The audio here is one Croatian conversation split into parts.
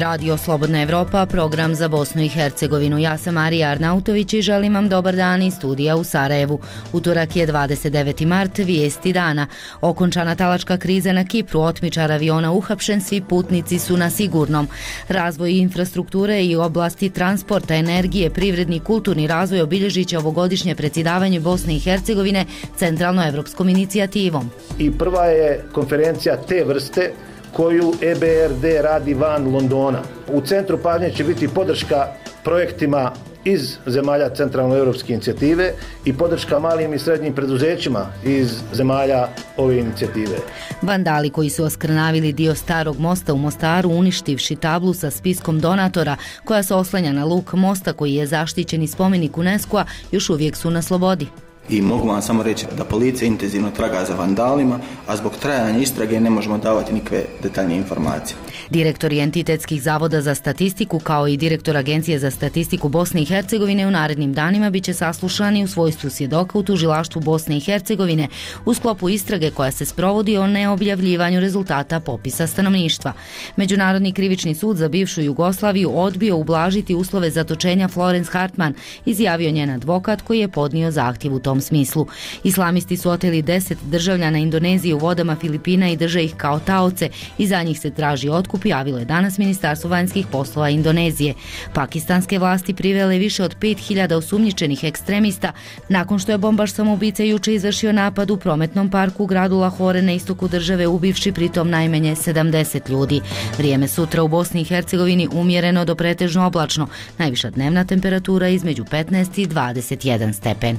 Radio Slobodna Evropa, program za Bosnu i Hercegovinu. Ja sam Marija Arnautović i želim vam dobar dan iz studija u Sarajevu. Utorak je 29. mart, vijesti dana. Okončana talačka kriza na Kipru, otmičar aviona uhapšen, svi putnici su na sigurnom. Razvoj infrastrukture i oblasti transporta, energije, privredni i kulturni razvoj obilježit će ovogodišnje predsjedavanje Bosne i Hercegovine centralnoevropskom inicijativom. I prva je konferencija te vrste koju EBRD radi van Londona. U centru pažnje će biti podrška projektima iz zemalja centralnoevropske inicijative i podrška malim i srednjim preduzećima iz zemalja ove inicijative. Vandali koji su oskrnavili dio starog mosta u Mostaru, uništivši tablu sa spiskom donatora koja se oslanja na luk mosta koji je zaštićeni spomenik UNESCO-a, još uvijek su na slobodi. I mogu vam samo reći da policija intenzivno traga za vandalima, a zbog trajanja istrage ne možemo davati nikakve detaljne informacije. Direktor entitetskih zavoda za statistiku kao i direktor Agencije za statistiku Bosne i Hercegovine u narednim danima biće saslušani u svojstvu svjedoka u tužilaštvu Bosne i Hercegovine u sklopu istrage koja se sprovodi o neobjavljivanju rezultata popisa stanovništva. Međunarodni krivični sud za bivšu Jugoslaviju odbio ublažiti uslove zatočenja Florence Hartman, izjavio njen advokat koji je podnio zahtjev u tom smislu. Islamisti su oteli 10 državljana Indonezije u vodama Filipina i drže ih kao taoce i za njih se traži otkup, javilo je danas Ministarstvo vanjskih poslova Indonezije. Pakistanske vlasti privele više od 5000 osumnjičenih ekstremista nakon što je bombaš samoubica juče izvršio napad u prometnom parku u gradu Lahore na istoku države, ubivši pritom najmanje 70 ljudi. Vrijeme sutra u Bosni i Hercegovini umjereno do pretežno oblačno. Najviša dnevna temperatura između 15 i 21 stepen.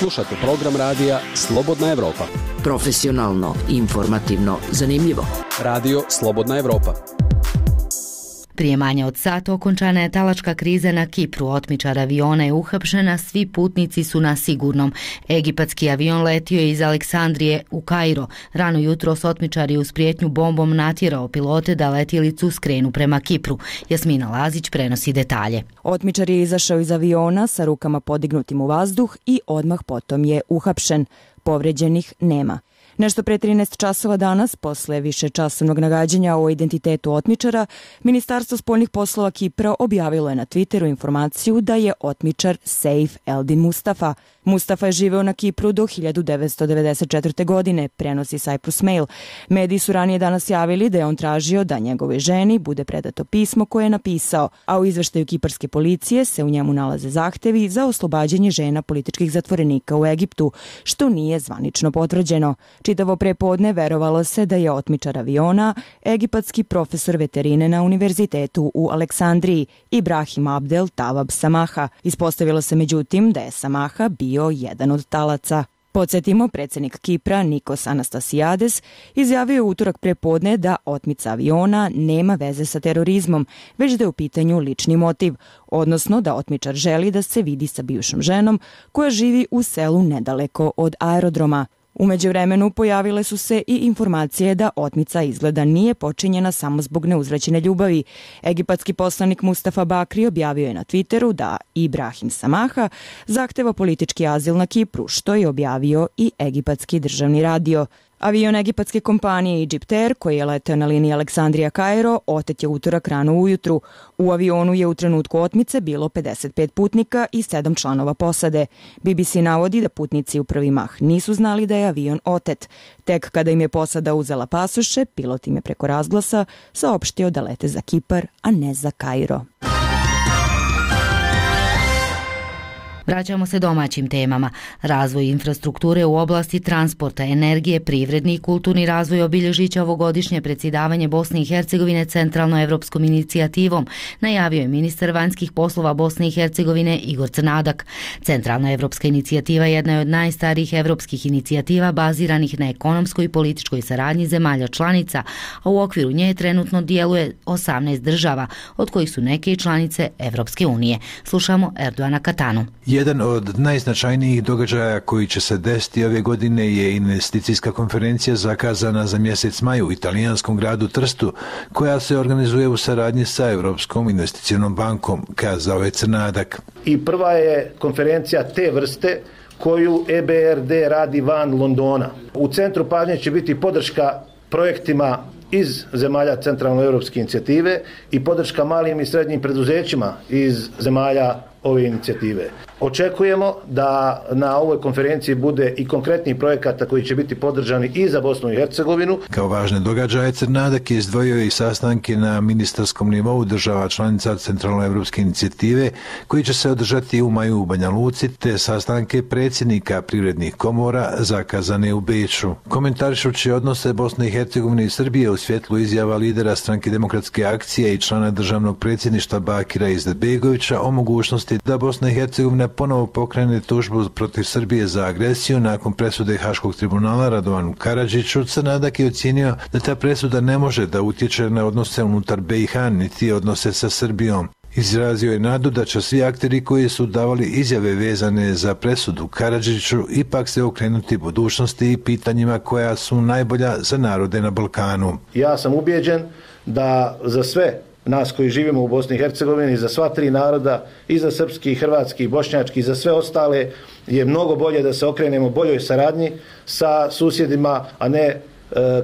Slušate program radija Slobodna Evropa. Profesionalno, informativno, zanimljivo. Radio Slobodna Evropa. Prije manje od sata okončana je talačka kriza na Kipru. Otmičar aviona je uhapšena, svi putnici su na sigurnom. Egipatski avion letio je iz Aleksandrije u Kairo. Rano jutros otmičar je uz prijetnju bombom natjerao pilote da letjelicu skrenu prema Kipru. Jasmina Lazić prenosi detalje. Otmičar je izašao iz aviona sa rukama podignutim u vazduh i odmah potom je uhapšen. Povređenih nema. Nešto pre 13 časova danas, posle višečasovnog nagađanja o identitetu otmičara, Ministarstvo spoljnih poslova Kipra objavilo je na Twitteru informaciju da je otmičar Seif Eldin Mustafa. Mustafa je živeo na Kipru do 1994. godine, prenosi Cyprus Mail. Mediji su ranije danas javili da je on tražio da njegovoj ženi bude predato pismo koje je napisao, a u izveštaju kiparske policije se u njemu nalaze zahtevi za oslobađanje žena političkih zatvorenika u Egiptu, što nije zvanično potvrđeno. Čitavo prepodne verovalo se da je otmičar aviona egipatski profesor veterine na univerzitetu u Aleksandriji, Ibrahim Abdel Tawab Samaha. Ispostavilo se međutim da je Samaha bio jedan od talaca. Podsjetimo, predsjednik Kipra Nikos Anastasiades izjavio je utorak prepodne da otmica aviona nema veze sa terorizmom, već da je u pitanju lični motiv, odnosno da otmičar želi da se vidi sa bivšom ženom koja živi u selu nedaleko od aerodroma. U međuvremenu pojavile su se i informacije da otmica izgleda nije počinjena samo zbog neuzvraćene ljubavi. Egipatski poslanik Mustafa Bakri objavio je na Twitteru da Ibrahim Samaha zahteva politički azil na Kipru, što je objavio i egipatski državni radio. Avion egipatske kompanije Egyptair, koji je leteo na liniji Aleksandrija-Kairo, otet je utorak rano ujutru. U avionu je u trenutku otmice bilo 55 putnika i 7 članova posade. BBC navodi da putnici u prvi mah nisu znali da je avion otet. Tek kada im je posada uzela pasoše, pilot im je preko razglasa saopštio da lete za Kipar, a ne za Kairo. Vraćamo se domaćim temama. Razvoj infrastrukture u oblasti transporta, energije, privredni i kulturni razvoj obilježit će ovogodišnje predsjedavanje Bosne i Hercegovine centralnoevropskom inicijativom, najavio je ministar vanjskih poslova Bosne i Hercegovine Igor Crnadak. Centralnoevropska inicijativa jedna je od najstarijih evropskih inicijativa baziranih na ekonomskoj i političkoj saradnji zemalja članica, a u okviru nje trenutno djeluje 18 država, od kojih su neke članice Evropske unije. Slušamo Erdoana Katanu. Jedan od najznačajnijih događaja koji će se desiti ove godine je investicijska konferencija zakazana za mjesec maj u italijanskom gradu Trstu, koja se organizuje u saradnji sa Europskom investicionom bankom, kazao je Crnadak. I prva je konferencija te vrste koju EBRD radi van Londona. U centru pažnje će biti podrška projektima iz zemalja centralnoevropske inicijative i podrška malim i srednjim preduzećima iz zemalja ove inicijative. Očekujemo da na ovoj konferenciji bude i konkretnih projekata koji će biti podržani i za Bosnu i Hercegovinu. Kao važne događaje Crnadak je izdvojio i sastanke na ministarskom nivou država članica centralnoevropske inicijative koji će se održati u maju u Banja Luci, te sastanke predsjednika privrednih komora zakazane u Beču. Komentarišući odnose Bosne i Hercegovine i Srbije u svjetlu izjava lidera Stranke demokratske akcije i člana državnog predsjedništva Bakira Izetbegovića o mogućnosti da Bosna i Hercegovina ponovo pokrene tužbu protiv Srbije za agresiju nakon presude Haškog tribunala Radovanu Karadžiću, Crnadak je ocijenio da ta presuda ne može da utječe na odnose unutar BiH niti odnose sa Srbijom. Izrazio je nadu da će svi akteri koji su davali izjave vezane za presudu Karadžiću ipak se okrenuti budućnosti i pitanjima koja su najbolja za narode na Balkanu. Ja sam ubijeđen da za sve nas koji živimo u Bosni i Hercegovini, za sva tri naroda, i za srpski, hrvatski, bošnjački, i za sve ostale, je mnogo bolje da se okrenemo boljoj saradnji sa susjedima, a ne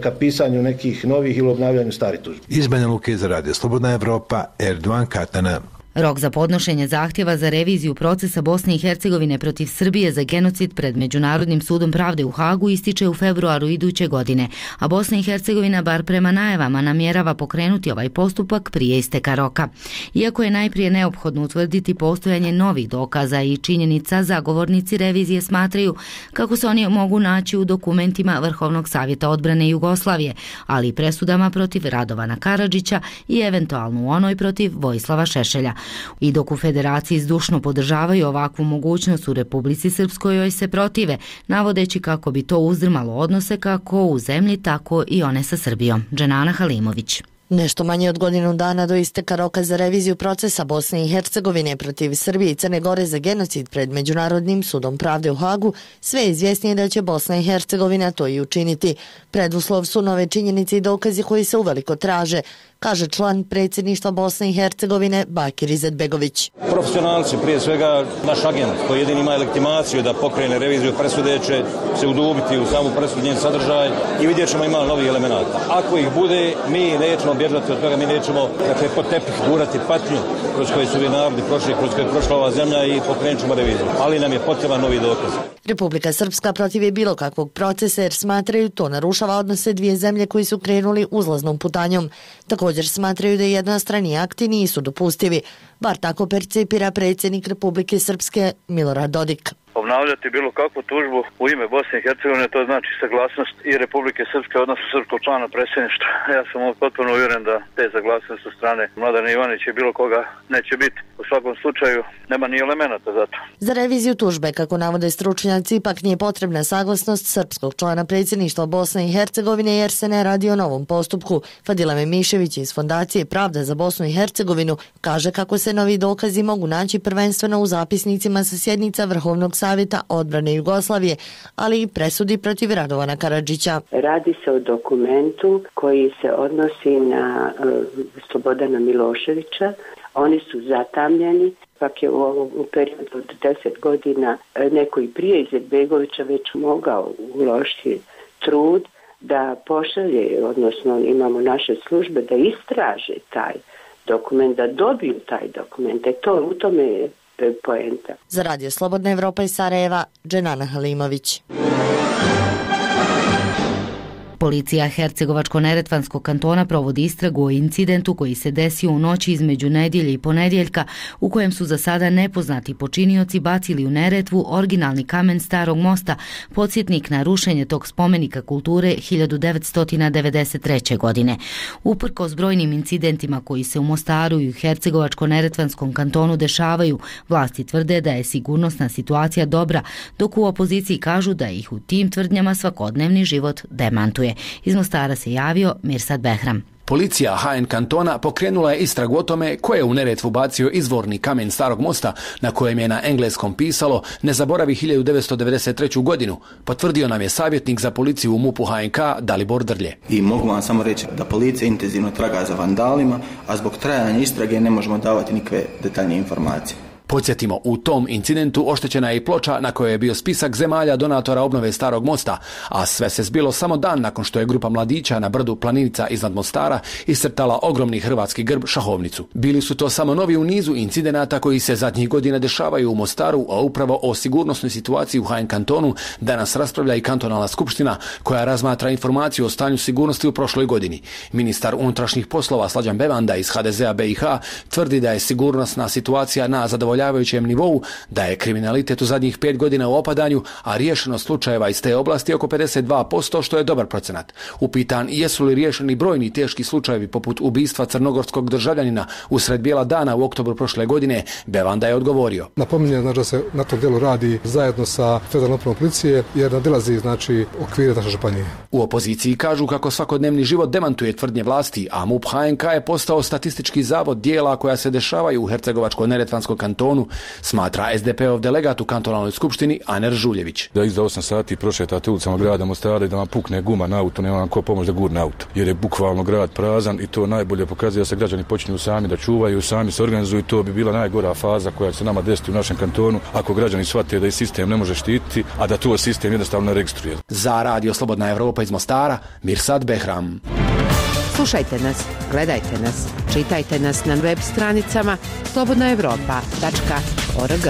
ka pisanju nekih novih ili obnavljanju starih tužbi. Iz Banja Luke za Radio Slobodna Evropa, Erdogan Katana. Rok za podnošenje zahtjeva za reviziju procesa Bosne i Hercegovine protiv Srbije za genocid pred Međunarodnim sudom pravde u Hagu ističe u februaru iduće godine, a Bosna i Hercegovina, bar prema najavama, namjerava pokrenuti ovaj postupak prije isteka roka. Iako je najprije neophodno utvrditi postojanje novih dokaza i činjenica, zagovornici revizije smatraju kako se oni mogu naći u dokumentima Vrhovnog savjeta odbrane Jugoslavije, ali i presudama protiv Radovana Karadžića i eventualno u onoj protiv Vojislava Šešelja. I dok u Federaciji zdušno podržavaju ovakvu mogućnost, u Republici Srpskoj joj se protive, navodeći kako bi to uzdrmalo odnose kako u zemlji, tako i one sa Srbijom. Dženana Halimović. Nešto manje od godinu dana do isteka roka za reviziju procesa Bosne i Hercegovine protiv Srbije i Crne Gore za genocid pred Međunarodnim sudom pravde u Hagu, sve je izvjesnije da će Bosna i Hercegovina to i učiniti. Preduslov su nove činjenice i dokazi koji se uveliko traže, kaže član predsjedništva Bosne i Hercegovine Bakir Izetbegović. Profesionalci, prije svega naš agent koji jedini ima legitimaciju da pokrene reviziju presude, će se udubiti u samu presudu, njen sadržaj i vidjet ćemo ima novih elemenata. Ako ih bude, mi nećemo bježati od toga, mi nećemo pod tepih gurati patnju kroz koje su narodi prošli, kroz koje je prošla ova zemlja i pokrenut ćemo reviziju. Ali nam je potreban novi dokaz. Republika Srpska protiv je bilo kakvog procesa jer smatraju to narušava odnose dvije zemlje koji su krenuli uzlaznom putanjom. Također smatraju da jednostrani akti nisu dopustivi, bar tako percipira predsjednik Republike Srpske Milorad Dodik. Obnavljati bilo kakvu tužbu u ime Bosne i Hercegovine, to znači saglasnost i Republike Srpske, odnosno srpskog člana predsjedništva. Ja sam potpuno uvjeren da te saglasnosti od strane Mladena Ivanića i bilo koga neće biti. U svakom slučaju nema ni elemenata za to. Za reviziju tužbe, kako navode stručnjaci, ipak nije potrebna saglasnost srpskog člana predsjedništva Bosne i Hercegovine jer se ne radi o novom postupku. Fadila Memišević iz Fondacije Pravda za Bosnu i Hercegovinu kaže kako se novi dokazi mogu naći prvenstveno u zapisnicima sa sjednica Vrhovnog savjeta odbrane Jugoslavije, ali i presudi protiv Radovana Karadžića. Radi se o dokumentu koji se odnosi na Slobodana Miloševića. Oni su zatamljeni, pak je u periodu od 10 godina neko i prije Izetbegovića već mogao uložiti trud da pošalje, odnosno imamo naše službe da istraže taj dokument, da dobiju taj dokument. U tome je poenta. Za Radio Slobodna Evropa iz Sarajeva, Dženana Halimović. Policija Hercegovačko-neretvanskog kantona provodi istragu o incidentu koji se desio u noći između nedjelje i ponedjeljka, u kojem su za sada nepoznati počinioci bacili u Neretvu originalni kamen Starog mosta, podsjetnik na rušenje tog spomenika kulture 1993. godine. Uprkos brojnim incidentima koji se u Mostaru i u Hercegovačko-neretvanskom kantonu dešavaju, vlasti tvrde da je sigurnosna situacija dobra, dok u opoziciji kažu da ih u tim tvrdnjama svakodnevni život demantuje. Iz Mostara se javio Mirsad Behram. Policija HN kantona pokrenula je istragu o tome ko je u Neretvu bacio izvorni kamen Starog mosta na kojem je na engleskom pisalo ne zaboravi 1993. godinu, potvrdio nam je savjetnik za policiju u MUP-u HNK Dalibor Drlje. I mogu vam samo reći da policija intenzivno traga za vandalima, a zbog trajanja istrage ne možemo davati nikakve detaljne informacije. Podsjetimo, u tom incidentu oštećena je i ploča na kojoj je bio spisak zemalja donatora obnove Starog mosta, a sve se zbilo samo dan nakon što je grupa mladića na brdu Planica iznad Mostara iscrtala ogromni hrvatski grb šahovnicu. Bili su to samo novi u nizu incidenata koji se zadnjih godina dešavaju u Mostaru, a upravo o sigurnosnoj situaciji u HN kantonu danas raspravlja i kantonalna skupština koja razmatra informaciju o stanju sigurnosti u prošloj godini. Ministar unutrašnjih poslova Slađan Bevanda iz HDZ-a BiH tvrdi da je sigurnosna situacija na zadovoljavajućem nivou, da je kriminalitet u zadnjih 5 godina u opadanju, a riješenost slučajeva iz te oblasti oko 52%, što je dobar procenat. Upitan jesu li riješeni brojni teški slučajevi poput ubistva crnogorskog državljanina usred bijela dana u oktobru prošle godine, Bevanda je odgovorio. Napominjem da se na tom djelu radi zajedno sa Federalnom upravom policije jer nadilazi okvire naše županije. U opoziciji kažu kako svakodnevni život demantuje tvrdnje vlasti, a MUP HNK je postao statistički zavod dijela koja se dešavaju u Hercegovačko-neretvanskom kantonu, smatra SDP-ov delegat u kantonalnoj skupštini Aner Žuljević. Da iza 8 sati prošetate ulicama grada Mostara i da vam pukne guma na auto, nema vam ko pomoći da gurne auto. Jer je bukvalno grad prazan i to najbolje pokazuje da se građani počinju sami da čuvaju, sami se organizuju. To bi bila najgora faza koja će se nama desiti u našem kantonu ako građani shvate da i sistem ne može štititi, a da to sistem jednostavno ne registruje. Za Radio Slobodna Evropa iz Mostara, Mirsad Behram. Slušajte nas, gledajte nas, čitajte nas na web stranicama slobodnaevropa.org.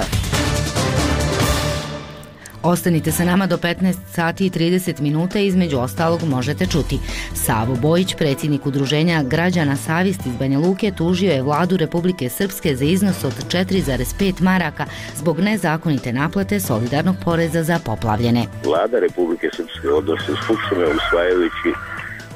Ostanite sa nama do 15 sati i 30 minuta, između ostalog možete čuti. Savo Bojić, predsjednik udruženja građana Savjest iz Banja Luke, tužio je vladu Republike Srpske za iznos od 4,5 maraka zbog nezakonite naplate solidarnog poreza za poplavljene. Vlada Republike Srpske, odnosno Skupština, usvajajući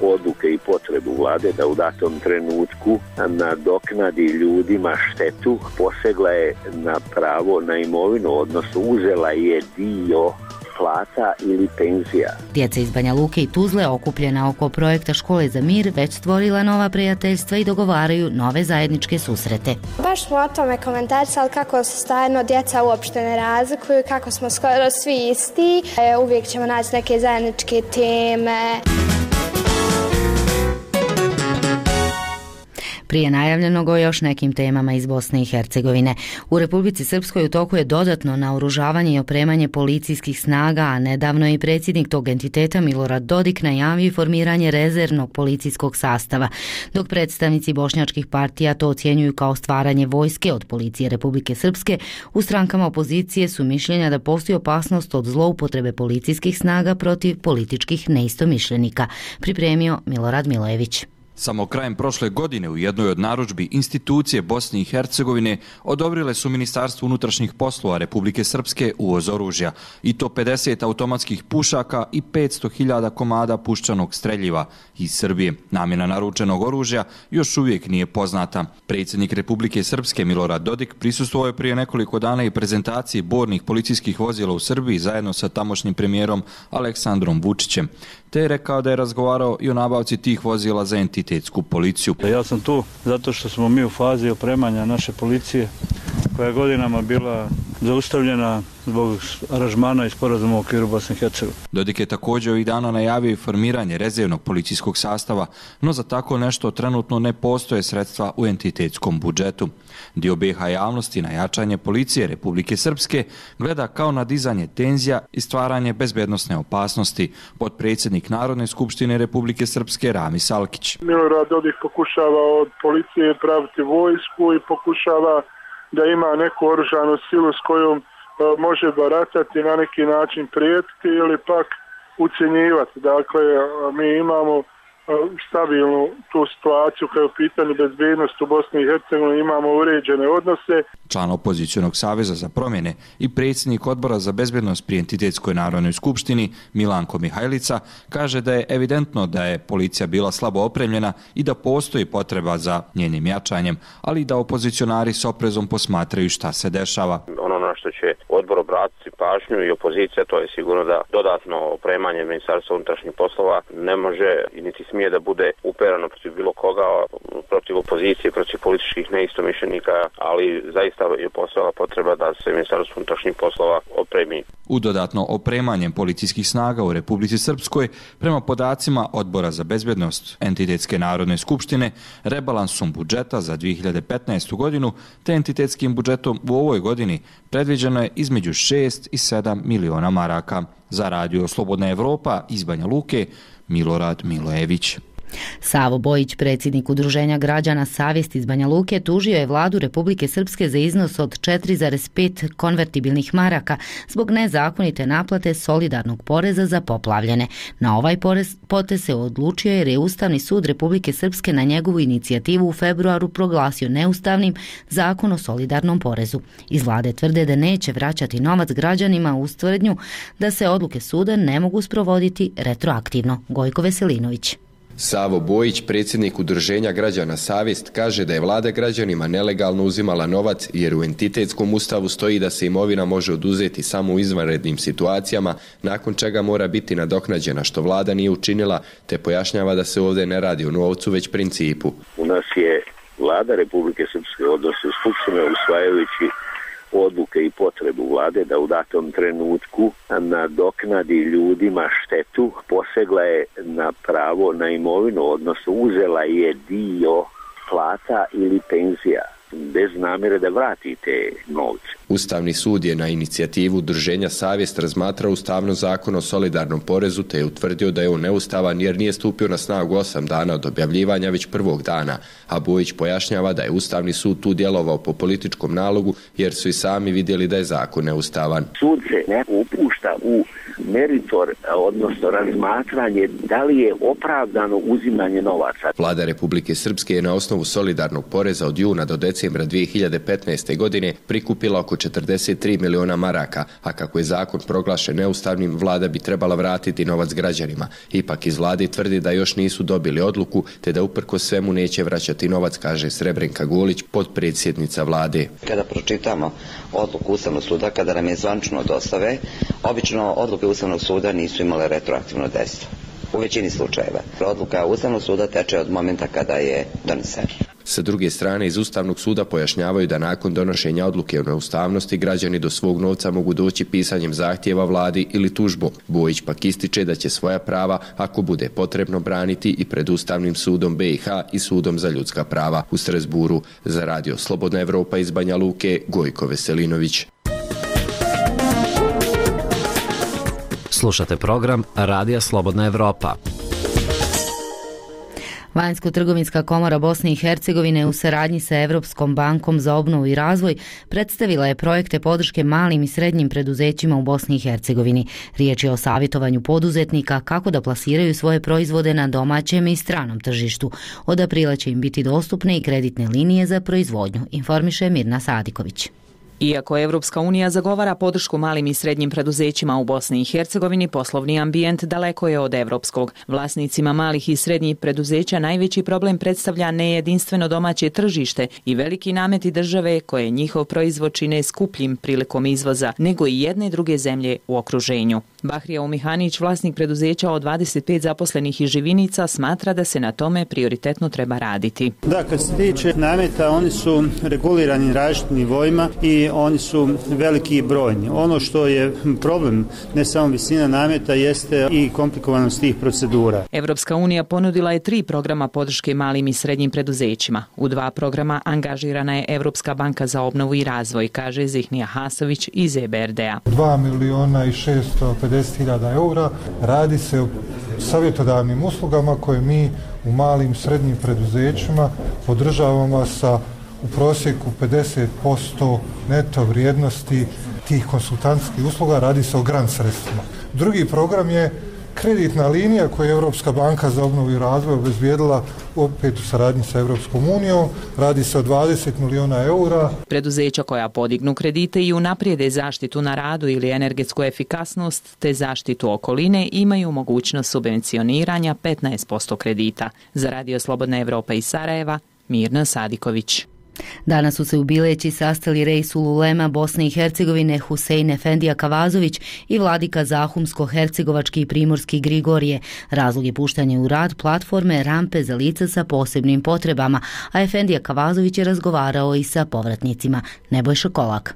odluke i potrebu vlade da u datom trenutku nadoknadi ljudima štetu, posegla je na pravo na imovinu, odnosno uzela je dio plata ili penzija. Djeca iz Banja Luke i Tuzle, okupljena oko projekta Škole za mir, već stvorila nova prijateljstva i dogovaraju nove zajedničke susrete. Baš smo o tome komentarisali kako se stvarno djeca uopšte ne razlikuju, kako smo skoro svi isti. Uvijek ćemo naći neke zajedničke teme. Prije najavljenog o još nekim temama iz Bosne i Hercegovine. U Republici Srpskoj u toku je dodatno naoružavanje i opremanje policijskih snaga, a nedavno je i predsjednik tog entiteta Milorad Dodik najavio formiranje rezervnog policijskog sastava, dok predstavnici bošnjačkih partija to ocjenjuju kao stvaranje vojske od policije Republike Srpske. U strankama opozicije su mišljenja da postoji opasnost od zloupotrebe policijskih snaga protiv političkih neistomišljenika, pripremio Milorad Milojević. Samo krajem prošle godine u jednoj od narudžbi institucije Bosne i Hercegovine odobrile su Ministarstvu unutrašnjih poslova Republike Srpske uvoz oružja, i to 50 automatskih pušaka i 500.000 komada puščanog streljiva iz Srbije. Namjena naručenog oružja još uvijek nije poznata. Predsjednik Republike Srpske Milorad Dodik prisustvovao je prije nekoliko dana i prezentaciji bornih policijskih vozila u Srbiji zajedno sa tamošnjim premijerom Aleksandrom Vučićem, te je rekao da je razgovarao i o nabavci tih vozila za entitetsku policiju. Ja sam tu zato što smo mi u fazi opremanja naše policije koja je godinama bila zaustavljena zbog aranžmana i sporazuma u okviru Bosne i Hercegovine. Dodik je također ovih dana najavio i formiranje rezervnog policijskog sastava, no za tako nešto trenutno ne postoje sredstva u entitetskom budžetu. Dio BiH javnosti na jačanje policije Republike Srpske gleda kao na dizanje tenzija i stvaranje bezbednosne opasnosti, potpredsjednik Narodne skupštine Republike Srpske Rami Salkić. Milorad Dodik pokušava od policije praviti vojsku i pokušava da ima neku oružanu silu s kojom može baratati, na neki način prijetiti ili pak ucjenjivati. Dakle, mi imamo stabilnu tu situaciju kada je u pitanju bezbednost u Bosni i Hercegovini, imamo uređene odnose. Član opozicionog saveza za promjene i predsjednik odbora za bezbednost pri Entitetskoj narodnoj skupštini Milanko Mihajlica kaže da je evidentno da je policija bila slabo opremljena i da postoji potreba za njenim jačanjem, ali da opozicionari s oprezom posmatraju šta se dešava. Ono na na što će odbor obratiti pažnju i opozicija, to je sigurno da dodatno opremanje Ministarstva unutrašnjih poslova ne može i niti smije da bude uperano protiv bilo koga, protiv opozicije, protiv političkih neistomišljenika, ali zaista je postojala potreba da se Ministarstvo unutrašnjih poslova opremi. U dodatno opremanjem policijskih snaga u Republici Srpskoj, prema podacima Odbora za bezbednost Entitetske narodne skupštine, rebalansom budžeta za 2015. godinu te entitetskim budžetom u ovoj godini predviđeno je između 6 i 7 miliona maraka. Za Radio Slobodna Evropa iz Banja Luke, Milorad Milojević. Savo Bojić, predsjednik Udruženja građana Savjest iz Banja Luke, tužio je vladu Republike Srpske za iznos od 4,5 konvertibilnih maraka zbog nezakonite naplate solidarnog poreza za poplavljene. Na ovaj potez se odlučio jer je Ustavni sud Republike Srpske na njegovu inicijativu u februaru proglasio neustavnim Zakon o solidarnom porezu. Iz vlade tvrde da neće vraćati novac građanima uz tvrdnju da se odluke suda ne mogu sprovoditi retroaktivno. Gojko Veselinović. Savo Bojić, predsjednik Udruženja građana Savjest, kaže da je vlada građanima nelegalno uzimala novac jer u entitetskom ustavu stoji da se imovina može oduzeti samo u izvanrednim situacijama, nakon čega mora biti nadoknađena, što vlada nije učinila, te pojašnjava da se ovdje ne radi o novcu već principu. U nas je vlada Republike Srpske, odnosno Skupštine, usvajajući odluke i potrebu vlade da u datom trenutku nadoknadi ljudima štetu, posegla je na pravo na imovinu, odnosno uzela je dio plata ili penzija bez namjere da vrati te novce. Ustavni sud je na inicijativu Udruženja Savjest razmatrao ustavnost Zakona o solidarnom porezu te je utvrdio da je on neustavan jer nije stupio na snagu 8 dana od objavljivanja već prvog dana, a Bojić pojašnjava da je Ustavni sud tu djelovao po političkom nalogu jer su i sami vidjeli da je zakon neustavan. Sud se ne upušta u meritor, odnosno razmatranje da li je opravdano uzimanje novaca. Vlada Republike Srpske je na osnovu solidarnog poreza od juna do decembra 2015. godine prikupila oko 43 miliona maraka, a kako je zakon proglašen neustavnim, vlada bi trebala vratiti novac građanima. Ipak iz vlade tvrdi da još nisu dobili odluku, te da uprkos svemu neće vraćati novac, kaže Srebrenka Golić, potpredsjednica vlade. Kada pročitamo odluku Ustavnog suda, kada nam je zvanično dostave, obično odluke Ustavnog suda nisu imale retroaktivno dejstvo. U većini slučajeva. Odluka Ustavnog suda teče od momenta kada je donesena. Sa druge strane, iz Ustavnog suda pojašnjavaju da nakon donošenja odluke o neustavnosti građani do svog novca mogu doći pisanjem zahtjeva vladi ili tužbom. Bojić pak ističe da će svoja prava, ako bude potrebno, braniti i pred Ustavnim sudom BiH i Sudom za ljudska prava u Strasburu. Za Radio Slobodna Evropa iz Banja Luke, Gojko Veselinović. Slušate program Radija Slobodna Evropa. Vanjsko-trgovinska komora Bosne i Hercegovine u saradnji sa Evropskom bankom za obnovu i razvoj predstavila je projekte podrške malim i srednjim preduzećima u Bosni i Hercegovini. Riječ je o savjetovanju poduzetnika kako da plasiraju svoje proizvode na domaćem i stranom tržištu. Od aprila će im biti dostupne i kreditne linije za proizvodnju, informiše Mirna Sadiković. Iako Evropska unija zagovara podršku malim i srednjim preduzećima u Bosni i Hercegovini, poslovni ambijent daleko je od evropskog. Vlasnicima malih i srednjih preduzeća najveći problem predstavlja nejedinstveno domaće tržište i veliki nameti države koje njihov proizvod čine skupljim prilikom izvoza nego i jedne i druge zemlje u okruženju. Bahrija Umihanić, vlasnik preduzeća od 25 zaposlenih iz Živinica, smatra da se na tome prioritetno treba raditi. Da, kad se tiče nameta, oni su regulirani različitim nivoima i oni su veliki i brojni. Ono što je problem, ne samo visina nameta, jeste i komplikovanost tih procedura. Evropska unija ponudila je 3 programa podrške malim i srednjim preduzećima. U 2 programa angažirana je Evropska banka za obnovu i razvoj, kaže Zihnija Hasović iz EBRD-a. 2.650.000 eura. Radi se o savjetodavnim uslugama koje mi u malim i srednjim preduzećima podržavamo sa u prosjeku 50% neto vrijednosti tih konsultantskih usluga. Radi se o grant sredstvima. Drugi program je kreditna linija koju je Europska banka za obnovu i razvoj obezbijedila opet u saradnji sa Europskom unijom. Radi se o 20 miliona eura. Preduzeća koja podignu kredite i unaprijede zaštitu na radu ili energetsku efikasnost te zaštitu okoline imaju mogućnost subvencioniranja 15% kredita. Za Radio Slobodna Evropa iz Sarajeva, Mirna Sadiković. Danas su se u Bileći sastali Reisul Ulema Bosne i Hercegovine Husein Efendija Kavazović i vladika Zahumsko-hercegovački i primorski Grigorije. Razlog je puštanje u rad platforme rampe za lica sa posebnim potrebama, a Efendija Kavazović je razgovarao i sa povratnicima. Nebojša Kolak.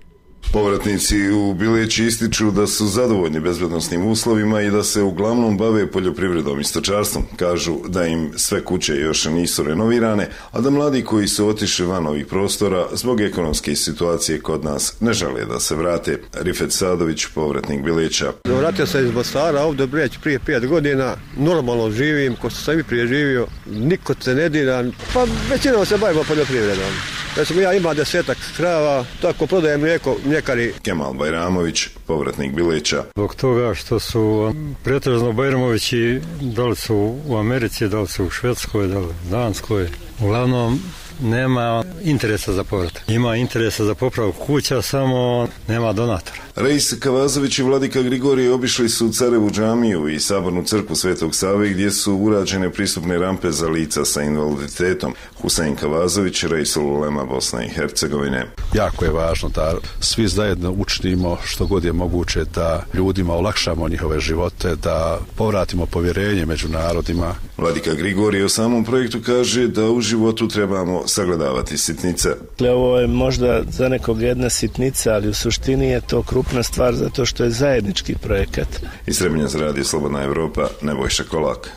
Povratnici u Bileći ističu da su zadovoljni bezbednosnim uslovima i da se uglavnom bave poljoprivredom i stočarstvom. Kažu da im sve kuće još nisu renovirane, a da mladi koji su otišli van ovih prostora zbog ekonomske situacije kod nas ne žele da se vrate. Rifet Sadović, povratnik Bileća. Vratio sam iz Mostara ovdje prije 5 godina, normalno živim, ko sam i prije živio, niko se ne dira, pa većinom se bavimo poljoprivredom. Recimo ja imam 10 krava, tako prodajem mlijeko mljekari. Kemal Bajramović, povratnik Bileća. Zbog toga što su pretežno Bajramovići, da li su u Americi, da li su u Švedskoj, da li u Danskoj, uglavnom nema interesa za povratak. Ima interesa za popravku kuća, samo nema donatora. Reis Kavazović i vladika Grigorije obišli su Carevu džamiju i sabornu crkvu Svetog Save gdje su urađene pristupne rampe za lica sa invaliditetom. Husein Kavazović, Reisul Ulema Bosne i Hercegovine. Jako je važno da svi zajedno učinimo što god je moguće da ljudima olakšamo njihove živote, da povratimo povjerenje među narodima. Vladika Grigorije o samom projektu kaže da u životu trebamo sagledavati sitnice. Ovo je možda za nekog jedna sitnica, ali u suštini je to krupna stvar zato što je zajednički projekat. Iz Trebinja za radio Slobodna Evropa, Nebojša Kolak.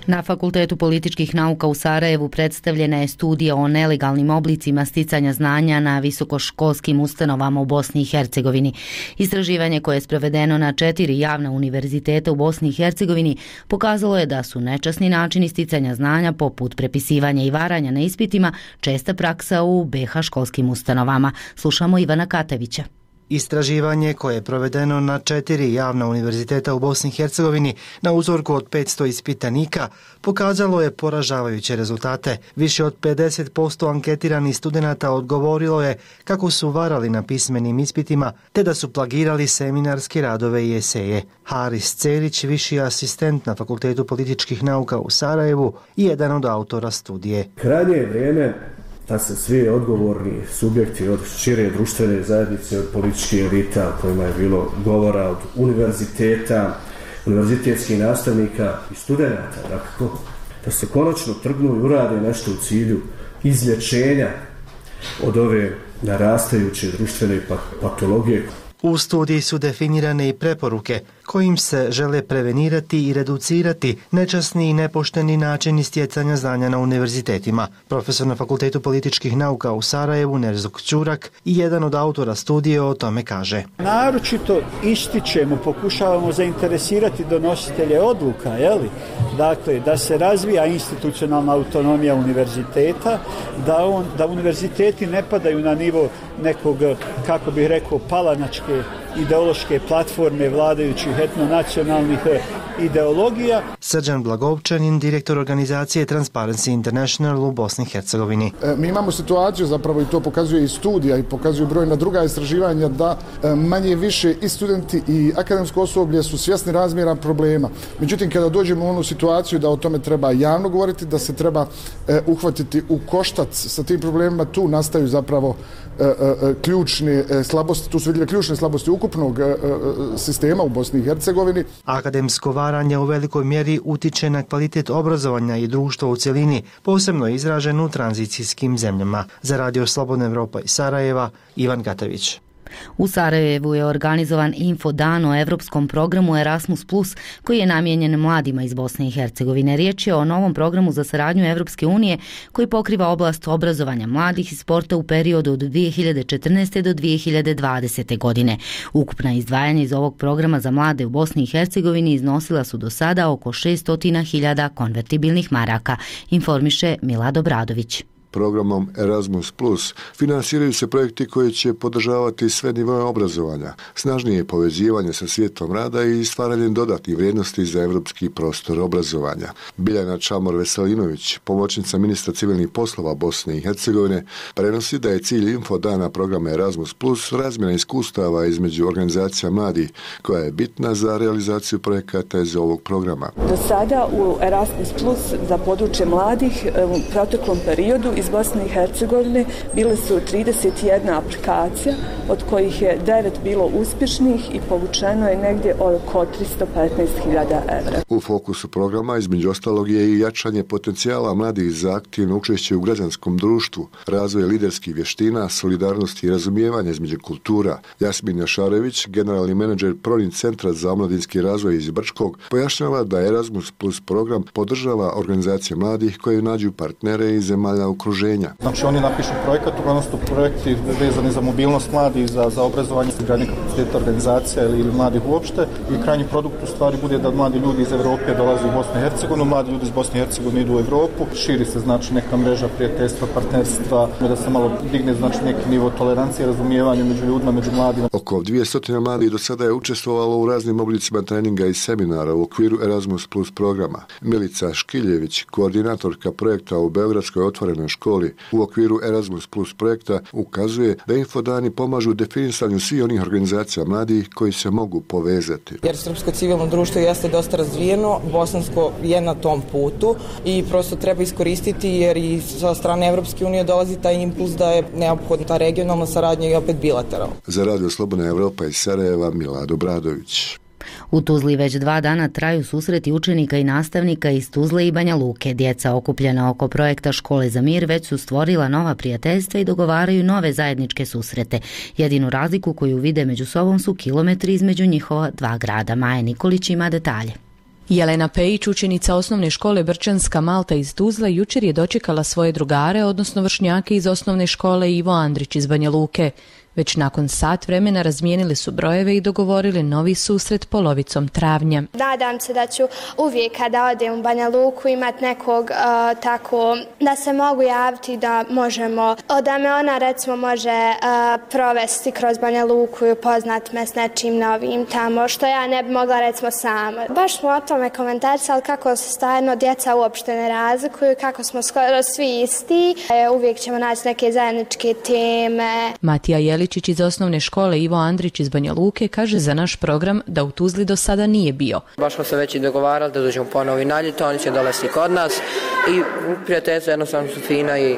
Na Fakultetu političkih nauka u Sarajevu predstavljena je studija o nelegalnim oblicima sticanja znanja na visokoškolskim ustanovama u Bosni i Hercegovini. Istraživanje koje je sprovedeno na 4 javna univerziteta u Bosni i Hercegovini pokazalo je da su nečasni načini sticanja znanja poput prepisivanja i varanja na ispitima česta praksa u BiH školskim ustanovama. Slušamo Ivana Katevića. Istraživanje koje je provedeno na 4 javna univerziteta u Bosni i Hercegovini na uzorku od 500 ispitanika pokazalo je poražavajuće rezultate. Više od 50% anketiranih studenata odgovorilo je kako su varali na pismenim ispitima te da su plagirali seminarske radove i eseje. Haris Cerić, viši asistent na Fakultetu političkih nauka u Sarajevu i jedan od autora studije. Krajnje je vrijeme da se svi odgovorni subjekti od šire društvene zajednice, od političkih elita o kojima je bilo govora, od univerziteta, univerzitetskih nastavnika i studenata, dakle, da se konačno trgnu i urade nešto u cilju izlječenja od ove narastajuće društvene patologije. U studiji su definirane i preporuke kojim se žele prevenirati i reducirati nečasni i nepošteni načini stjecanja znanja na univerzitetima. Profesor na Fakultetu političkih nauka u Sarajevu, Nerzuk Ćurak, i jedan od autora studije o tome kaže. Naročito ističemo, pokušavamo zainteresirati donositelje odluka, dakle, da se razvija institucionalna autonomija univerziteta, da univerziteti ne padaju na nivo nekog, kako bih rekao, palanačke ideološke platforme vladajućih etnonacionalnih ideologija. Srđan Blagovčanin, direktor organizacije Transparency International u Bosni i Hercegovini. Mi imamo situaciju, zapravo i to pokazuje i studija i pokazuju brojna druga istraživanja, da manje više i studenti i akademsko osoblje su svjesni razmjera problema. Međutim, kada dođemo u onu situaciju da o tome treba javno govoriti, da se treba uhvatiti u koštac sa tim problemima, tu nastaju zapravo ključne slabosti, tu su vidjeli ključne slabosti ukupnog sistema u Bosni i Hercegovini. Akademsko varanje u velikoj mjeri utiče na kvalitet obrazovanja i društva u cjelini, posebno izražen u tranzicijskim zemljama. Za radio Slobodna Evropa iz Sarajeva, Ivan Gatavić. U Sarajevu je organizovan infodan o evropskom programu Erasmus+, koji je namijenjen mladima iz Bosne i Hercegovine. Riječ je o novom programu za saradnju Evropske unije koji pokriva oblast obrazovanja mladih i sporta u periodu od 2014. do 2020. godine. Ukupna izdvajanja iz ovog programa za mlade u Bosni i Hercegovini iznosila su do sada oko 600.000 konvertibilnih maraka, informiše Milad Obradović. programom Erasmus+, finansiraju se projekti koji će podržavati sve nivoe obrazovanja, snažnije povezivanje sa svijetom rada i stvaranjem dodatnih vrijednosti za evropski prostor obrazovanja. Biljana Čamor-Veselinović, pomoćnica ministra civilnih poslova Bosne i Hercegovine, prenosi da je cilj infodana programa Erasmus+, razmjena iskustava između organizacija mladih, koja je bitna za realizaciju projekata iz ovog programa. Do sada u Erasmus Plus za područje mladih u proteklom periodu iz Bosne i Hercegovine bile su 31 aplikacija, od kojih je 9 bilo uspješnih i povučeno je negdje oko 315.000 evra. U fokusu programa između ostalog je i jačanje potencijala mladih za aktivno učešće u građanskom društvu, razvoj liderskih vještina, solidarnosti i razumijevanja između kultura. Jasmin Jašarević, generalni menadžer Prorin centra za omladinski razvoj iz Brčkog, pojašnjava da Erasmus Plus program podržava organizacije mladih koje nađu partnere iz zemalja okruženja. Znači oni napišu projekat, uglavnom su projekti vezani za mobilnost mladih, za obrazovanje, izgradnje kapaciteta organizacija ili mladih uopšte i krajnji produkt u stvari bude da mladi ljudi iz Europe dolaze u Bosnu i Hercegovinu, mladi ljudi iz Bosne i Hercegovine idu u Europu, širi se znači neka mreža prijateljstva, partnerstva, da se malo digne znači neki nivo tolerancije, razumijevanja među ljudima, među mladima. Oko 200 mladih do sada je učestvovalo u raznim oblicima treninga i seminara u okviru Erasmus Plus programa. Milica Škiljević, koordinatorka projekta u Beogradskoj otvorenoj školi u okviru Erasmus Plus projekta, ukazuje da infodani pomažu definisanju svih onih organizacija mladih koji se mogu povezati. Jer srpsko civilno društvo jeste dosta razvijeno, bosansko je na tom putu i prosto treba iskoristiti jer i sa strane Evropske unije dolazi taj impuls da je neophodna ta regionalna saradnja i opet bilateralna. Za Radio Slobodna Evropa iz Sarajeva, Milad Obradović. U Tuzli već 2 dana traju susreti učenika i nastavnika iz Tuzle i Banja Luke. Djeca okupljena oko projekta Škole za mir već su stvorila nova prijateljstva i dogovaraju nove zajedničke susrete. Jedinu razliku koju vide među sobom su kilometri između njihova 2 grada. Maja Nikolić ima detalje. Jelena Pejić, učenica osnovne škole Brčanska Malta iz Tuzla, jučer je dočekala svoje drugare, odnosno vršnjake iz osnovne škole Ivo Andrić iz Banja Luke. Već nakon sat vremena razmijenili su brojeve i dogovorili novi susret polovicom travnja. Nadam se da ću uvijek kada odem u Banja Luku imati nekog tako da se mogu javiti, da možemo, da me ona recimo može provesti kroz Banja Luku i upoznati me s nečim novim tamo, što ja ne bi mogla recimo sama. Baš smo o tome komentarisali kako se stvarno djeca uopšte ne razlikuju, kako smo skoro svi isti. Uvijek ćemo naći neke zajedničke teme. Matija Jelić iz osnovne škole Ivo Andrić iz Banja Luke kaže za naš program da u Tuzli do sada nije bio. Baš smo se već i dogovarali da dođemo ponovo i na ljeto, oni će dolaziti kod nas i prijateljstva jednostavno su fina i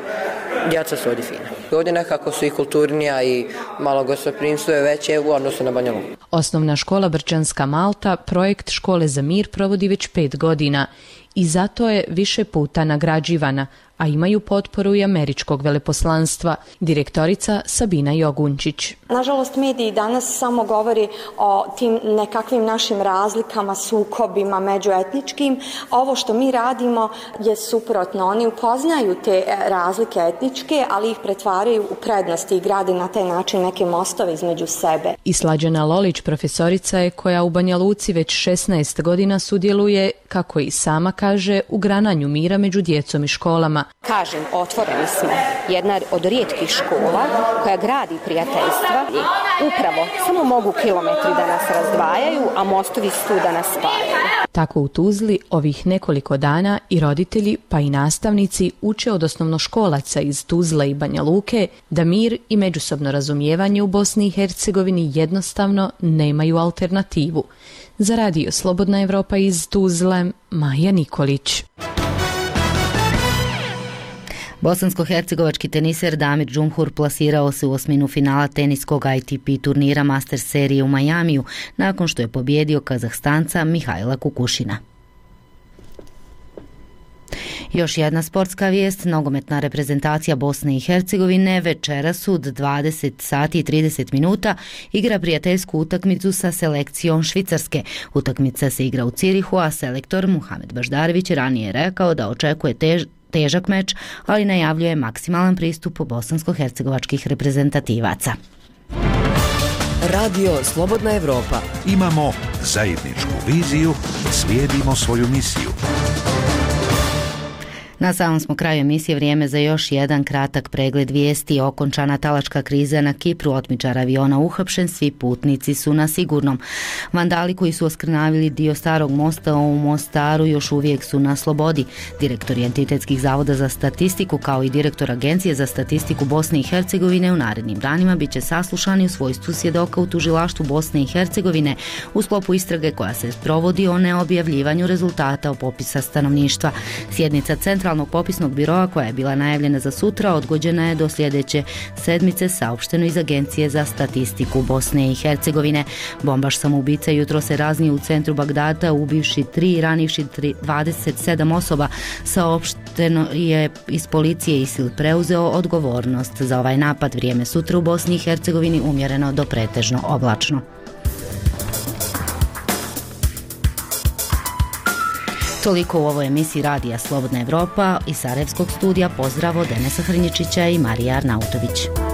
djeca su ovdje fina. Ovdje nekako su i kulturnija i malo gostoprimstvo je veće u odnosu na Banja Luku. Osnovna škola Brčanska Malta projekt Škole za mir provodi već 5 godina i zato je više puta nagrađivana, a imaju potporu i američkog veleposlanstva. Direktorica Sabina Jogunčić. Nažalost, mediji danas samo govori o tim nekakvim našim razlikama, sukobima međuetničkim. Ovo što mi radimo je suprotno. Oni upoznaju te razlike etničke, ali ih pretvaraju u prednosti i grade na taj način neke mostove između sebe. I Slađana Lolić, profesorica je koja u Banja Luci već 16 godina sudjeluje, kako i sama kaže, u grananju mira među djecom i školama. Kažem, otvoreni smo jedna od rijetkih škola koja gradi prijateljstva i upravo samo mogu kilometri da nas razdvajaju, a mostovi su da nas spajaju. Tako u Tuzli ovih nekoliko dana i roditelji pa i nastavnici uče od osnovnoškolaca iz Tuzle i Banja Luke da mir i međusobno razumijevanje u Bosni i Hercegovini jednostavno nemaju alternativu. Za Radio Slobodna Evropa iz Tuzle, Maja Nikolić. Bosansko-hercegovački teniser Damir Džumhur plasirao se u osminu finala teniskog ATP turnira Masters serije u Majamiju nakon što je pobjedio Kazahstanca Mihajla Kukušina. Još jedna sportska vijest, nogometna reprezentacija Bosne i Hercegovine večeras od 20 sati i 30 minuta igra prijateljsku utakmicu sa selekcijom Švicarske. Utakmica se igra u Cirihu, a selektor Muhamed Baždarević ranije je rekao da očekuje težak meč, ali najavljuje maksimalan pristup bosansko-hercegovačkih reprezentativaca. Radio Slobodna Evropa. Imamo zajedničku viziju, slijedimo svoju misiju. Na samom smo kraju emisije, vrijeme za još jedan kratak pregled vijesti. Okončana talačka kriza na Kipru, otmičar aviona uhapšen, svi putnici su na sigurnom. Vandali koji su oskrnavili dio starog mosta u Mostaru još uvijek su na slobodi. Direktori entitetskih zavoda za statistiku kao i direktor Agencije za statistiku Bosne i Hercegovine u narednim danima bit će saslušani u svojstvu svjedoka u tužilaštvu Bosne i Hercegovine u sklopu istrage koja se provodi o neobjavljivanju rezultata popisa stanovništva. Sjednica Centralnog popisnog biroa koja je bila najavljena za sutra odgođena je do sljedeće sedmice, saopšteno iz Agencije za statistiku Bosne i Hercegovine. Bombaš samoubica jutro se raznio u centru Bagdada, ubivši 3 i ranivši 27 osoba. Saopšteno je iz policije ISIL preuzeo odgovornost za ovaj napad. Vrijeme sutra u Bosni i Hercegovini umjereno do pretežno oblačno. Toliko u ovoj emisiji Radija Slobodna Evropa. Iz Sarajevskog studija pozdrav od Denesa Hrnječića i Marija Arnautović.